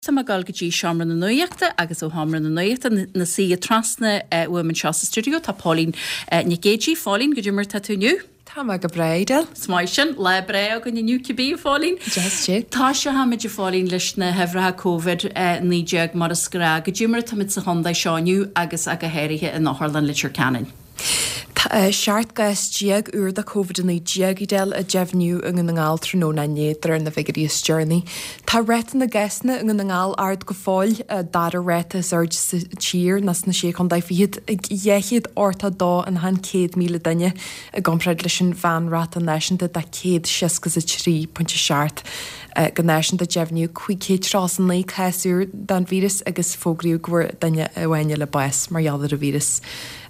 Tá mé ag dul go dtí Seomra na Nuachta agus ó Sheomra na Nuachta ina suí trasna uaim anseo sa stiúideo tá Póilín Nic Géidigh. Phóilín, goidé mar tá tú inniu? Tá mé go breá, Edel. Is maith sin. Lá breá againn inniu cibé, a Phóilín. Deas é. Toiseochaimid, a Phóilín, leis na huimhreacha Covid-19 mar is gnách. Goidé mar atáimid sa chontae seo inniu agus go háirithe in Otharlann Leitir Ceanainn. Tá 17 gcás úr de Covid-19, Edel, a deimhníodh i nDún na nGall tráthnóna inné, de réir na bhfigiúirí is deireanaí. Tá ráta na gcásanna i nDún na nGall ard go fóill, dara ráta is airde sa tír, nó sna Sé Chontae Fichead, ag 282 in achan 100,000 duine, i gcomparáid leis an mheánráta náisiúnta de 163.7. Go náisiúnta, deimhníodh 539 cás úr den víreas agus fógraíodh go bhfuair duine amháin eile bás mar gheall ar an víreas.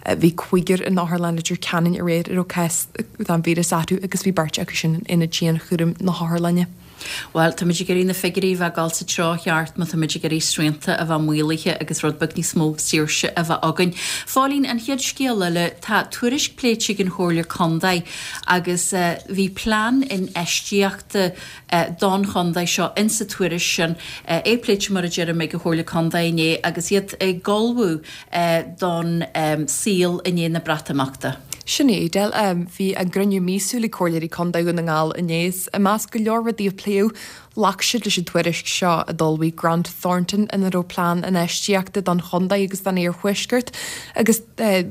Bhí cúigear in Otharlann Leitir Ceanainn aréir a raibh cás den víreas acu agus bhí beirt acu sin in aonad dianchúraim na hotharlainne. Bhuel, táimid ag iarraidh na figiúirí a bheith ag dul sa treo cheart má táimid ag iarraidh srianta a bheith maolaithe agus rud beag níos mó saoirse a bheith againn. Phóilín, an chéad scéal eile, tá tuairisc pléite ag an Chomhairle Contae agus bhí plean infheistíochta don chontae seo insa tuairisc sin, é pléite mar a deirim ag an Chomhairle Contae inné agus iad ag ullmhú don saol i ndiaidh na Breatimeachta. Sin é, Edel. Bhí a gcruinniú míosúil ag Comhairleoirí Contae Dhún na nGall inné is i measc go leor rudaí a pléadh, ghlac siad leis an tuairisc seo a d'ullmhaigh Grant Thornton ina raibh plean infheistíochta don chontae agus don iarthuaisceart agus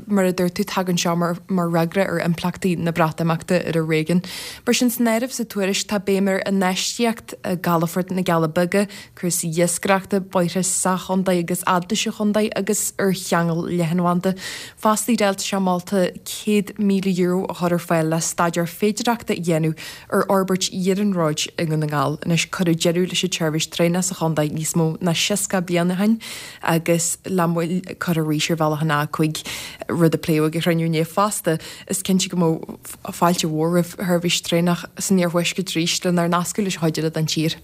mar a dúirt tú tagann seo mar fhreagra ar impleachtaí na Breatimeachta ar fhoréigean. Mar sin san áireamh sa tuairisc tá béim ar infheistíocht i gcalafort na gCealla Beaga, cúrsaí iascaireachta, bóithre sa chontae agus fhad leis an chontae agus ar cheangal leathanbhanda. Fosta Edel tá sé molta €100,000 a chur ar fáil le staidéar féidearthachta a dhéanamh ar fhorbairt iarnróid i nDún na nGall. Anois cuireadh deireadh leis an tseirbhís traenach sa chontae níos mó ná 60 bliain ó shin agus le moill curtha arís ar bhealach an A5, rud a pléadh ag an chruinniú inné fosta. Is cinnte go mbeadh fáilte mhór roimh sheirbhís traenach san iarthuaisceart arís lenár nascadh leis an chuid eile den tír.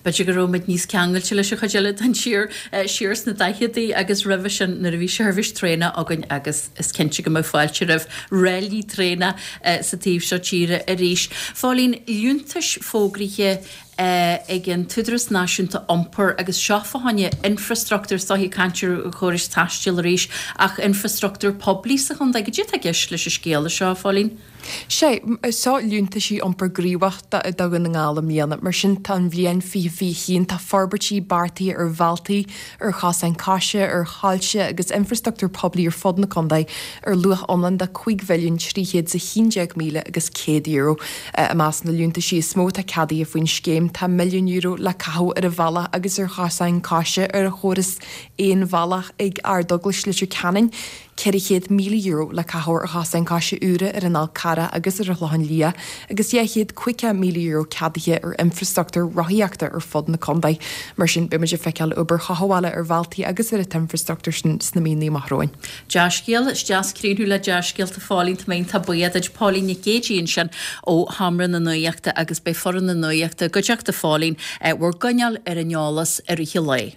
B'fhéidir go raibh muid níos ceangailte leis an chuid eile den tír siar sna daicheadaí agus roimhe sin nuair a bhí seirbhís traenach againn agus is cinnte go mbeadh fáilte roimh ráillí traenach sa taobh seo tíre arís. Phóilín, liúntais fógraithe ag an tÚdarás Náisiúnta Iompair agus seo fá choinne infreastruchtúr, is dóiche caint ar chórais taistil arís, ach infreastruchtúr poiblí sa chontae. Goidé atá i gceist leis an scéala seo, a Phóilín? Sé, seo liúntaisí iompair gníomhach do Dhún na nGall i mbliana. Mar sin, tá an bhliain 2021, tá forbairtí beartaithe ar bhealtaí, ar chosáin coise, ar choillte agus infreastruchtúr poiblí ar fud na contae ar luach iomlán de €5,311,000 agus €100. I measc na liúntaisí is mó atá ceadaithe faoin scéim tá €1 milliún le caitheamh ar an bhealach agus ar chosáin coise ar an chóras aon bhealach ag Ardeaglais Leitir Ceanainn, €400,000 le caitheamh ar chosáin coise úra ar an Fhál Carrach agus ar an Chlochán Liath agus €250,000 ceadaithe ar infreastruchtúr rothaíochta ar fud na contae. Mar sin, beidh muid ag feiceáil obair chothabhála ar bhealtaí agus ar an t-infreastruchtúr sin sna míonna amach romhainn. Dea-scéal, is deas críochnú le dea-scéalta Phóilín, tá mé iontach buíoch duit Póilín Nic Géidigh ansin ó Sheomra na Nuachta agus beidh foireann na Nuachta i gcuideachta Phóilín bhur gcoinneáil ar an eolas i rith an lae.